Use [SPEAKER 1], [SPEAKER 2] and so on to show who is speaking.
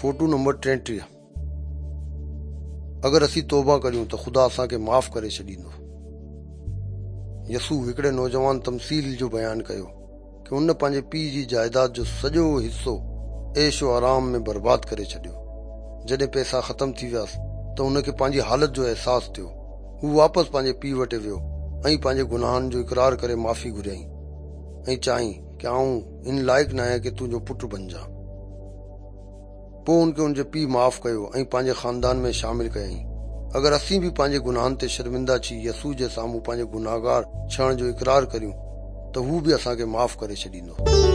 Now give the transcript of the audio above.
[SPEAKER 1] Photo number 33. اگر اسين توبه ڪريون ته خدا اسان کي معاف ڪري ڇڏيندو. يسوع هڪڙي نوجوان تمثيل جو بيان ڪيو ڪه ان پنهنجي پيء جي جائداد جو سڄو حصو عيش و آرام ۾ برباد ڪري ڇڏيو. جڏهن پئسا ختم ٿي وياس ته ان کي پنهنجي حالت جو احساس ٿيو. هو واپس پنهنجي پيء وٽ ويو ۽ پنهنجي گناهن جو اقرار ڪري معافي گهريائين ۽ چيائين ڪه آئون ان لائق ناهيان ڪه تنهنجو پٽ بنجان. پوء ان کي ان جي پيء معاف ڪيو ۽ پنهنجي خاندان ۾ شامل ڪيائين. اگر اسين به پنهنجي گناهن تي شرمنده ٿي يسوع جي سامهون پنهنجي گنهگار ٿيڻ جو اقرار ڪريون ته هو به اسان کي معاف ڪري ڇڏيندو.